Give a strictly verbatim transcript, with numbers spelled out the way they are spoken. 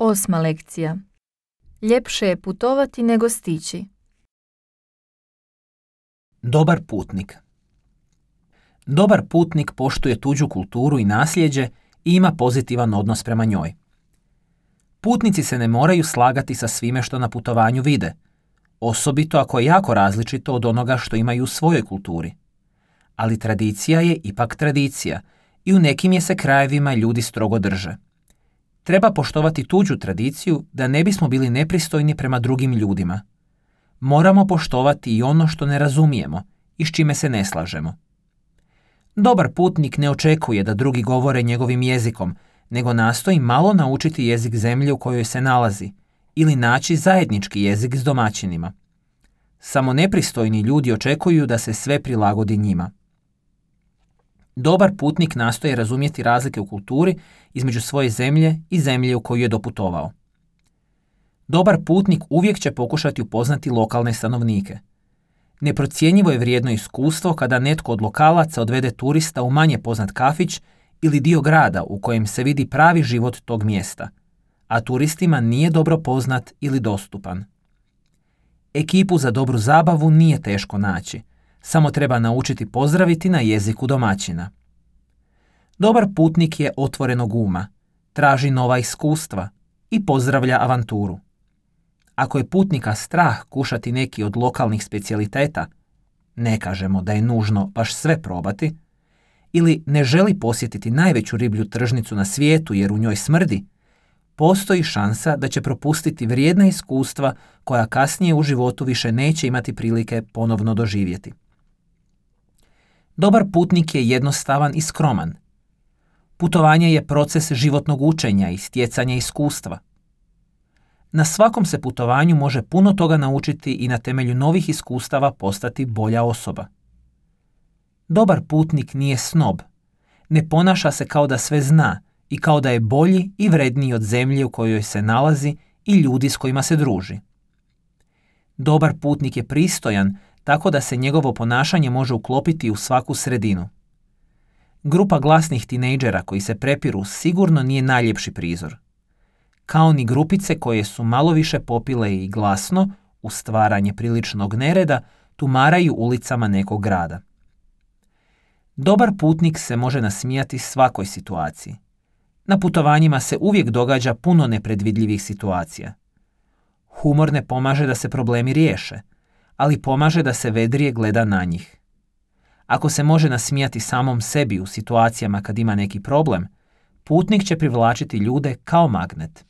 Osma lekcija. Ljepše je putovati nego stići. Dobar putnik. Dobar putnik poštuje tuđu kulturu i nasljeđe i ima pozitivan odnos prema njoj. Putnici se ne moraju slagati sa svime što na putovanju vide, osobito ako je jako različito od onoga što imaju u svojoj kulturi. Ali tradicija je ipak tradicija i u nekim je se krajevima ljudi strogo drže. Treba poštovati tuđu tradiciju da ne bismo bili nepristojni prema drugim ljudima. Moramo poštovati i ono što ne razumijemo i s čime se ne slažemo. Dobar putnik ne očekuje da drugi govore njegovim jezikom, nego nastoji malo naučiti jezik zemlje u kojoj se nalazi ili naći zajednički jezik s domaćinima. Samo nepristojni ljudi očekuju da se sve prilagodi njima. Dobar putnik nastoji razumjeti razlike u kulturi između svoje zemlje i zemlje u koju je doputovao. Dobar putnik uvijek će pokušati upoznati lokalne stanovnike. Neprocjenjivo je vrijedno iskustvo kada netko od lokalaca odvede turista u manje poznat kafić ili dio grada u kojem se vidi pravi život tog mjesta, a turistima nije dobro poznat ili dostupan. Ekipu za dobru zabavu nije teško naći, samo treba naučiti pozdraviti na jeziku domaćina. Dobar putnik je otvorenog uma, traži nova iskustva i pozdravlja avanturu. Ako je putnika strah kušati neki od lokalnih specijaliteta, ne kažemo da je nužno baš sve probati, ili ne želi posjetiti najveću riblju tržnicu na svijetu jer u njoj smrdi, postoji šansa da će propustiti vrijedna iskustva koja kasnije u životu više neće imati prilike ponovno doživjeti. Dobar putnik je jednostavan i skroman. Putovanje je proces životnog učenja i stjecanja iskustva. Na svakom se putovanju može puno toga naučiti i na temelju novih iskustava postati bolja osoba. Dobar putnik nije snob. Ne ponaša se kao da sve zna i kao da je bolji i vredniji od zemlje u kojoj se nalazi i ljudi s kojima se druži. Dobar putnik je pristojan, tako da se njegovo ponašanje može uklopiti u svaku sredinu. Grupa glasnih tinejdžera koji se prepiru sigurno nije najljepši prizor. Kao ni grupice koje su malo više popile i glasno, u stvaranje priličnog nereda, tumaraju ulicama nekog grada. Dobar putnik se može nasmijati svakoj situaciji. Na putovanjima se uvijek događa puno nepredvidljivih situacija. Humor ne pomaže da se problemi riješe, ali pomaže da se vedrije gleda na njih. Ako se može nasmijati samom sebi u situacijama kad ima neki problem, putnik će privlačiti ljude kao magnet.